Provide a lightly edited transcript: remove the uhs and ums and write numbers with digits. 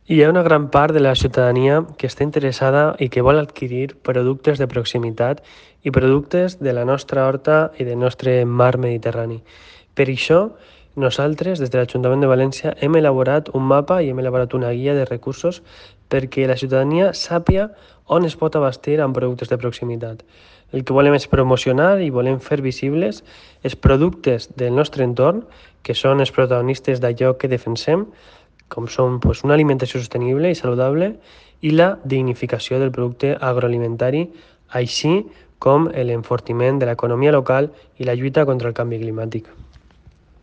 Hi ha una gran part de la ciutadania que està interessada i que vol adquirir productes de proximitat i productes de la nostra horta i del nostre mar Mediterrani. Per això, nosaltres, des de l'Ajuntament de València, hem elaborat un mapa i hem elaborat una guia de recursos perquè la ciutadania sàpia on es pot abastir amb productes de proximitat. El que volem és promocionar i volem fer visibles els productes del nostre entorn, que són els protagonistes d'allò que defensem, com són una alimentació sostenible i saludable i la dignificació del producte agroalimentari, així com l'enfortiment de l'economia local i la lluita contra el canvi climàtic.